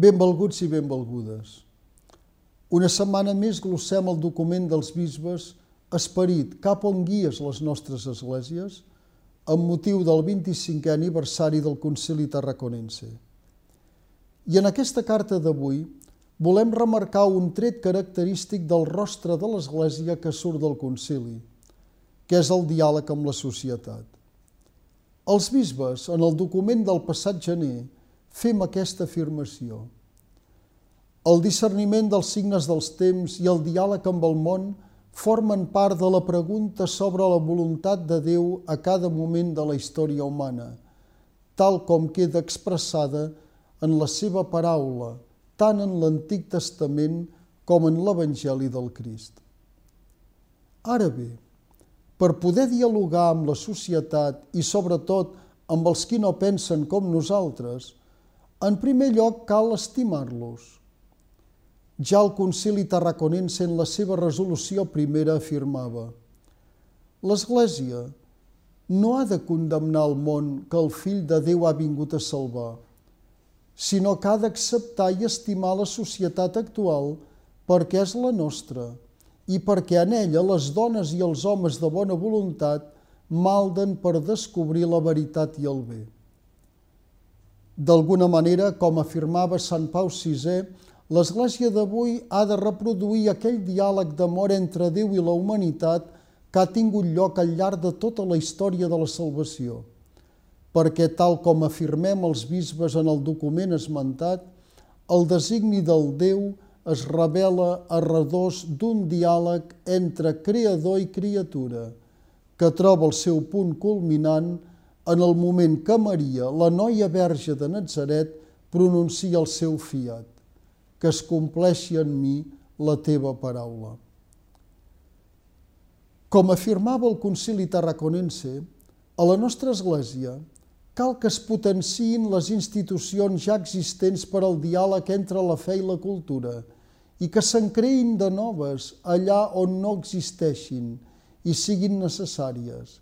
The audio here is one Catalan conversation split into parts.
Benvolguts i benvolgudes. Una setmana més glossem el document dels bisbes Esperit, cap on guies les nostres esglésies, amb motiu del 25è aniversari del Concili Tarraconense. I en aquesta carta d'avui volem remarcar un tret característic del rostre de l'Església que surt del concili, que és el diàleg amb la societat. Els bisbes, en el document del passat gener, fem aquesta afirmació. El discerniment dels signes dels temps i el diàleg amb el món formen part de la pregunta sobre la voluntat de Déu a cada moment de la història humana, tal com queda expressada en la seva paraula, tant en l'Antic Testament com en l'Evangeli del Crist. Ara bé, per poder dialogar amb la societat i sobretot amb els qui no pensen com nosaltres, en primer lloc cal estimar-los. Ja el Concili Tarraconense en la seva resolució primera afirmava: l'Església no ha de condemnar el món que el Fill de Déu ha vingut a salvar, sinó que ha d'acceptar i estimar la societat actual perquè és la nostra i perquè en ella les dones i els homes de bona voluntat malden per descobrir la veritat i el bé. D'alguna manera, com afirmava Sant Pau VI, l'Església d'avui ha de reproduir aquell diàleg d'amor entre Déu i la humanitat que ha tingut lloc al llarg de tota la història de la salvació, perquè, tal com afirmem els bisbes en el document esmentat, el designi del Déu es revela a redós d'un diàleg entre creador i criatura, que troba el seu punt culminant en el moment que Maria, la noia verge de Natzaret, pronuncia el seu fiat: que es compleixi en mi la teva paraula. Com afirmava el Concili Tarraconense, a la nostra Església cal que es potenciïn les institucions ja existents per al diàleg entre la fe i la cultura i que se'n creïn de noves allà on no existeixin i siguin necessàries,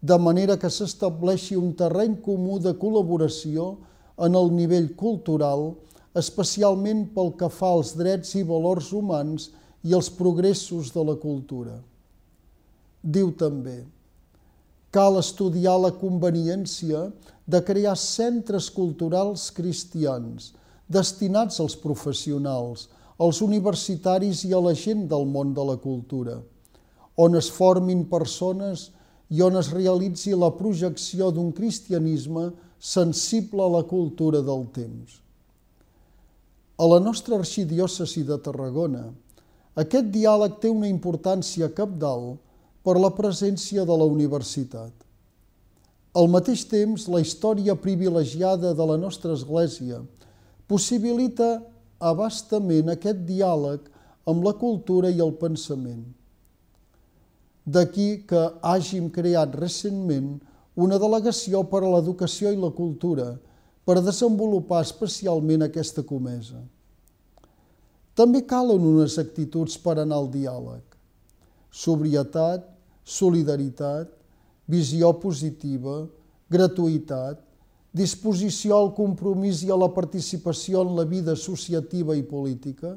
de manera que s'estableixi un terreny comú de col·laboració en el nivell cultural, especialment pel que fa als drets i valors humans i els progressos de la cultura. Diu també: cal estudiar la conveniència de crear centres culturals cristians destinats als professionals, als universitaris i a la gent del món de la cultura, on es formin persones i on es realitzi la projecció d'un cristianisme sensible a la cultura del temps. A la nostra arxidiòcesi de Tarragona, aquest diàleg té una importància cabdal per la presència de la universitat. Al mateix temps, la història privilegiada de la nostra Església possibilita abastament aquest diàleg amb la cultura i el pensament. D'aquí que hàgim creat recentment una delegació per a l'educació i la cultura per desenvolupar especialment aquesta comesa. També calen unes actituds per anar al diàleg: sobrietat, solidaritat, visió positiva, gratuïtat, disposició al compromís i a la participació en la vida associativa i política,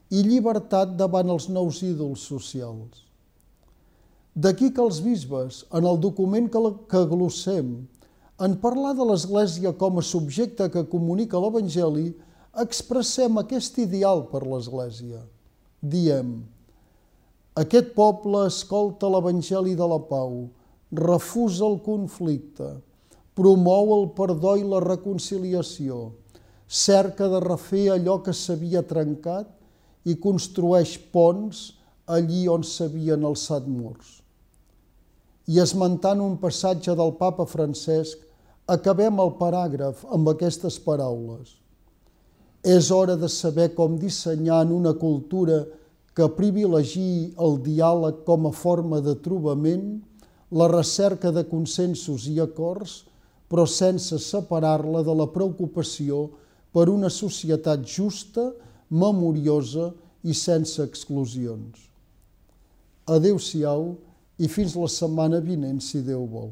i llibertat davant els nous ídols socials. D'aquí que els bisbes, en el document que glossem, en parlar de l'Església com a subjecte que comunica l'Evangeli, expressem aquest ideal per l'Església. Diem: aquest poble escolta l'Evangeli de la pau, refusa el conflicte, promou el perdó i la reconciliació, cerca de refer allò que s'havia trencat i construeix ponts allí on s'havien alçat murs. I esmentant un passatge del Papa Francesc, acabem el paràgraf amb aquestes paraules: és hora de saber com dissenyar en una cultura que privilegiï el diàleg com a forma de trobament, la recerca de consensos i acords, però sense separar-la de la preocupació per una societat justa, memoriosa i sense exclusions. Adéu-siau i fins la setmana vinent, si Déu vol.